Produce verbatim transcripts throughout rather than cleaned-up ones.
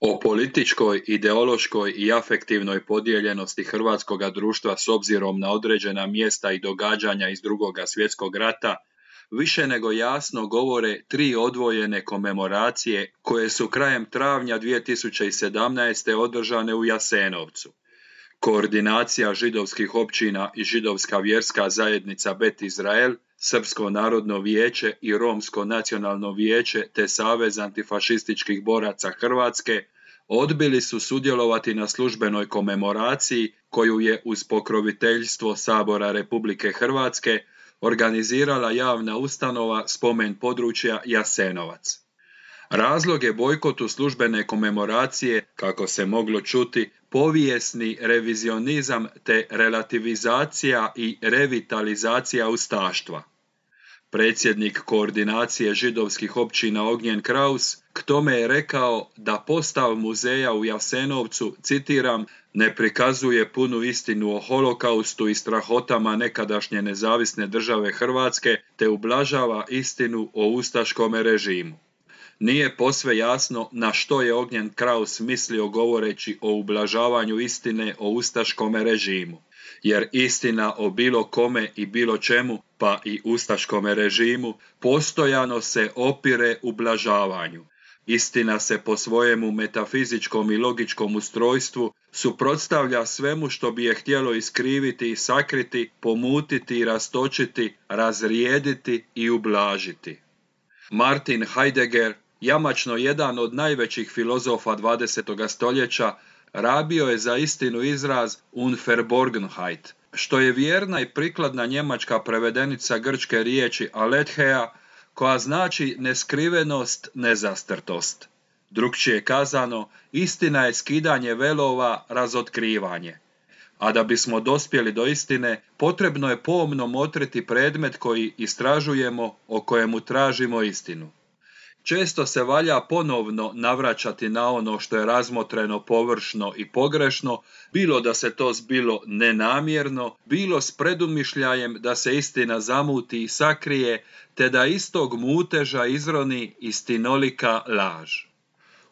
O političkoj, ideološkoj i afektivnoj podijeljenosti hrvatskoga društva s obzirom na određena mjesta i događanja iz Drugoga svjetskog rata više nego jasno govore tri odvojene komemoracije koje su krajem travnja dvije tisuće sedamnaeste. održane u Jasenovcu. Koordinacija židovskih općina i židovska vjerska zajednica Bet Izrael, Srpsko narodno vijeće i Romsko nacionalno vijeće te Savez antifašističkih boraca Hrvatske odbili su sudjelovati na službenoj komemoraciji koju je uz pokroviteljstvo Sabora Republike Hrvatske organizirala javna ustanova Spomen područja Jasenovac. Razlog je bojkotu službene komemoracije, kako se moglo čuti, povijesni revizionizam te relativizacija i revitalizacija ustaštva. Predsjednik koordinacije židovskih općina Ognjen Kraus k tome je rekao da postav muzeja u Jasenovcu, citiram, ne prikazuje punu istinu o holokaustu i strahotama nekadašnje nezavisne države Hrvatske te ublažava istinu o ustaškome režimu. Nije posve jasno na što je Ognjen Kraus mislio govoreći o ublažavanju istine o ustaškome režimu, jer istina o bilo kome i bilo čemu, pa i ustaškome režimu, postojano se opire ublažavanju. Istina se po svojemu metafizičkom i logičkom ustrojstvu suprotstavlja svemu što bi je htjelo iskriviti i sakriti, pomutiti i rastočiti, razrijediti i ublažiti. Martin Heidegger, jamačno jedan od najvećih filozofa dvadesetog stoljeća, rabio je za istinu izraz Unverborgenheit, što je vjerna i prikladna njemačka prevedenica grčke riječi aletheia, koja znači neskrivenost, nezastrtost. Drukčije kazano, istina je skidanje velova, razotkrivanje. A da bismo dospjeli do istine, potrebno je pomno motriti predmet koji istražujemo, o kojemu tražimo istinu. Često se valja ponovno navraćati na ono što je razmotreno površno i pogrešno, bilo da se to zbilo nenamjerno, bilo s predumišljajem da se istina zamuti i sakrije, te da istog muteža izroni istinolika laž.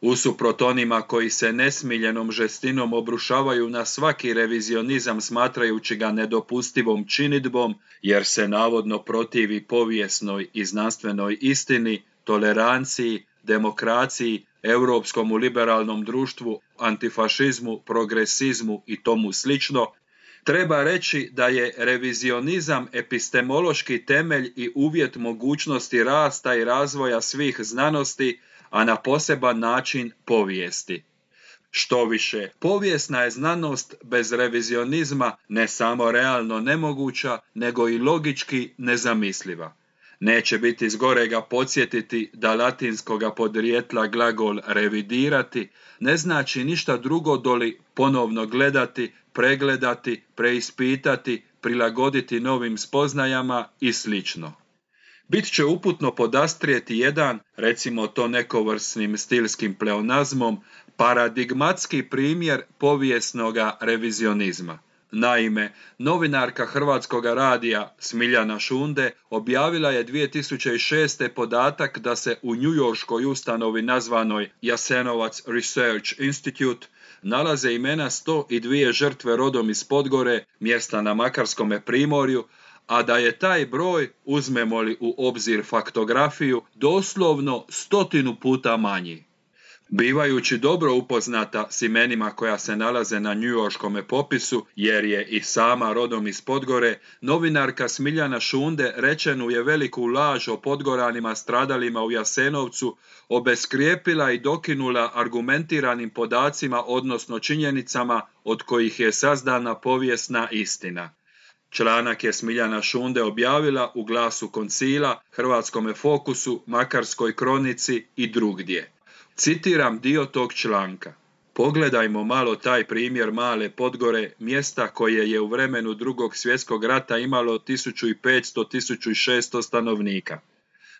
Usuprot onima koji se nesmiljenom žestinom obrušavaju na svaki revizionizam smatrajući ga nedopustivom činidbom, jer se navodno protivi povijesnoj i znanstvenoj istini, toleranciji, demokraciji, europskom liberalnom društvu, antifašizmu, progresizmu i tomu slično, treba reći da je revizionizam epistemološki temelj i uvjet mogućnosti rasta i razvoja svih znanosti, a na poseban način povijesti. Štoviše, povijesna je znanost bez revizionizma ne samo realno nemoguća, nego i logički nezamisliva. Neće biti zgorega podsjetiti da latinskoga podrijetla glagol revidirati ne znači ništa drugo doli ponovno gledati, pregledati, preispitati, prilagoditi novim spoznajama i slično. Bit će uputno podastrijeti jedan, recimo to nekovrsnim stilskim pleonazmom, paradigmatski primjer povijesnoga revizionizma. Naime, novinarka Hrvatskoga radija Smiljana Šunde objavila je dvije tisuće šeste. podatak da se u njujorškoj ustanovi nazvanoj Jasenovac Research Institute nalaze imena sto dvije žrtve rodom iz Podgore, mjesta na Makarskome primorju, a da je taj broj, uzmemo li u obzir faktografiju, doslovno stotinu puta manji. Bivajući dobro upoznata s imenima koja se nalaze na njujorškome popisu, jer je i sama rodom iz Podgore, novinarka Smiljana Šunde rečenu je veliku laž o Podgoranima stradalima u Jasenovcu obeskrijepila i dokinula argumentiranim podacima, odnosno činjenicama od kojih je sazdana povijesna istina. Članak je Smiljana Šunde objavila u Glasu koncila, Hrvatskome fokusu, Makarskoj kronici i drugdje. Citiram dio tog članka. Pogledajmo malo taj primjer male Podgore, mjesta koje je u vremenu Drugog svjetskog rata imalo tisuću petsto do tisuću šesto stanovnika.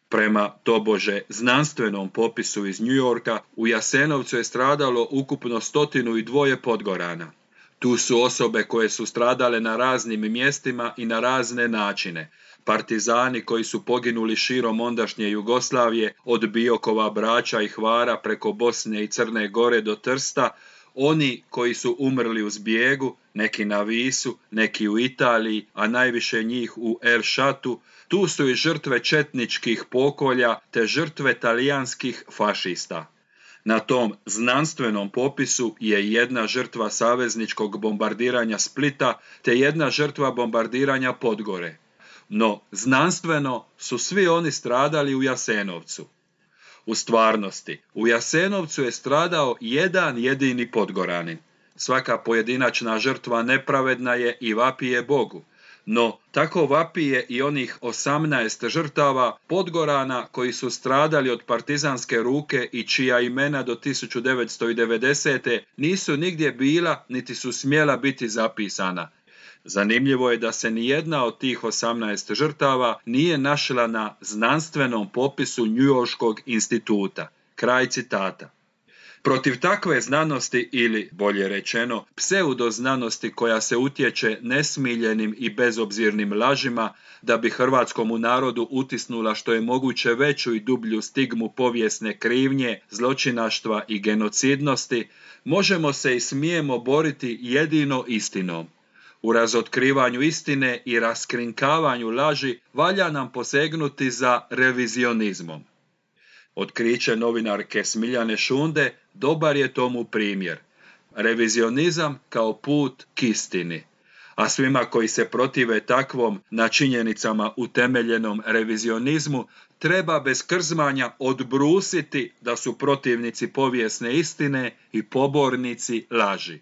Prema tobože znanstvenom popisu iz New Yorka, u Jasenovcu je stradalo ukupno stotinu i dvoje Podgorana. Tu su osobe koje su stradale na raznim mjestima i na razne načine. partizani koji su poginuli širom ondašnje Jugoslavije od Biokova, Brača i Hvara preko Bosne i Crne Gore do Trsta, oni koji su umrli u zbjegu, neki na Visu, neki u Italiji, a najviše njih u El Šatu, tu su i žrtve četničkih pokolja te žrtve talijanskih fašista. Na tom znanstvenom popisu je jedna žrtva savezničkog bombardiranja Splita te jedna žrtva bombardiranja Podgore. No, znanstveno su svi oni stradali u Jasenovcu. U stvarnosti, u Jasenovcu je stradao jedan jedini Podgoranin. Svaka pojedinačna žrtva nepravedna je i vapije Bogu. No, tako vapije i onih osamnaest žrtava Podgorana koji su stradali od partizanske ruke i čija imena do tisuću devetsto devedesete. nisu nigdje bila niti su smjela biti zapisana. Zanimljivo je da se nijedna od tih osamnaest žrtava nije našla na znanstvenom popisu Njujorškog instituta. Kraj citata. Protiv takve znanosti ili, bolje rečeno, pseudoznanosti koja se utječe nesmiljenim i bezobzirnim lažima da bi hrvatskomu narodu utisnula što je moguće veću i dublju stigmu povijesne krivnje, zločinaštva i genocidnosti, možemo se i smijemo boriti jedino istinom. U razotkrivanju istine i raskrinkavanju laži valja nam posegnuti za revizionizmom. Otkriće novinarke Smiljane Šunde dobar je tomu primjer. Revizionizam kao put k istini. A svima koji se protive takvom na činjenicama utemeljenom revizionizmu treba bez krzmanja odbrusiti da su protivnici povijesne istine i pobornici laži.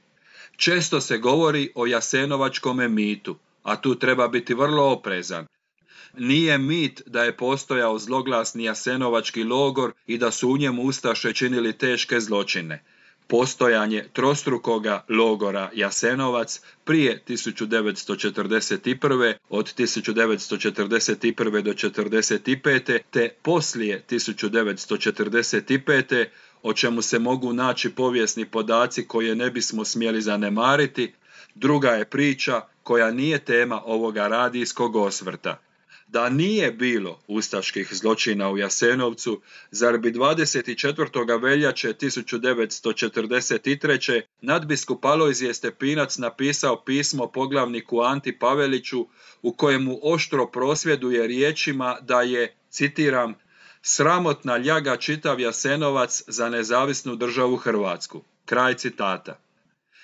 Često se govori o jasenovačkome mitu, a tu treba biti vrlo oprezan. Nije mit da je postojao zloglasni jasenovački logor i da su u njemu ustaše činili teške zločine. Postojanje trostrukoga logora Jasenovac prije tisuću devetsto četrdeset prve. od tisuću devetsto četrdeset prve. do četrdeset pete. te poslije tisuću devetsto četrdeset pete. o čemu se mogu naći povijesni podaci koje ne bismo smjeli zanemariti, druga je priča koja nije tema ovoga radijskog osvrta. Da nije bilo ustaških zločina u Jasenovcu, zar bi dvadeset četvrtog veljače tisuću devetsto četrdeset treće. nadbiskup Alojzije Stepinac napisao pismo poglavniku Anti Paveliću u kojemu oštro prosvjeduje riječima da je, citiram, sramotna ljaga čitav Jasenovac za nezavisnu državu Hrvatsku. Kraj citata.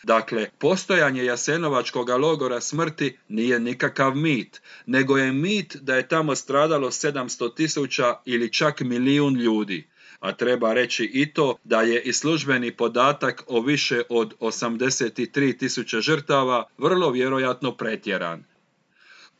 Dakle, postojanje Jasenovačkog logora smrti nije nikakav mit, nego je mit da je tamo stradalo sedamsto tisuća ili čak milijun ljudi. A treba reći i to da je i službeni podatak o više od osamdeset tri tisuće žrtava vrlo vjerojatno pretjeran.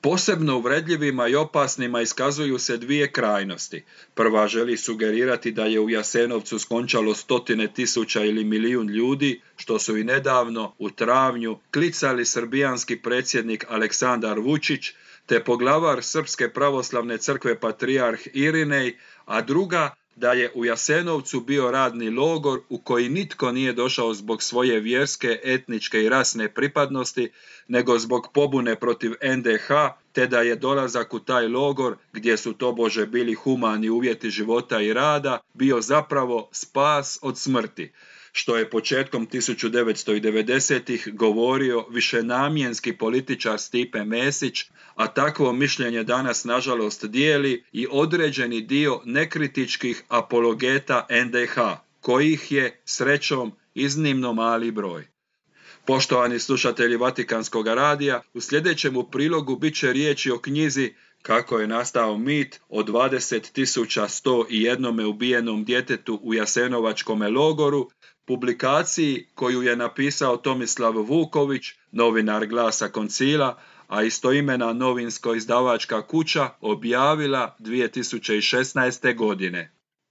Posebno uvredljivima i opasnima iskazuju se dvije krajnosti. Prva želi sugerirati da je u Jasenovcu skončalo stotine tisuća ili milijun ljudi, što su i nedavno, u travnju, klicali srbijanski predsjednik Aleksandar Vučić, te poglavar Srpske pravoslavne crkve patrijarh Irinej, a druga da je u Jasenovcu bio radni logor u koji nitko nije došao zbog svoje vjerske, etničke i rasne pripadnosti, nego zbog pobune protiv en de ha, te da je dolazak u taj logor, gdje su tobože bili humani uvjeti života i rada, bio zapravo spas od smrti, što je početkom tisuću devetsto devedesetih govorio višenamjenski političar Stipe Mesić, a takvo mišljenje danas nažalost dijeli i određeni dio nekritičkih apologeta en de ha, kojih je, srećom, iznimno mali broj. Poštovani slušatelji Vatikanskog radija, u sljedećemu prilogu bit će riječi o knjizi Kako je nastao mit o dvadeset tisuća sto jedan ubijenom djetetu u Jasenovačkome logoru, publikaciji koju je napisao Tomislav Vuković, novinar Glasa Koncila, a istoimena novinsko-izdavačka kuća objavila dvije tisuće šesnaeste. godine.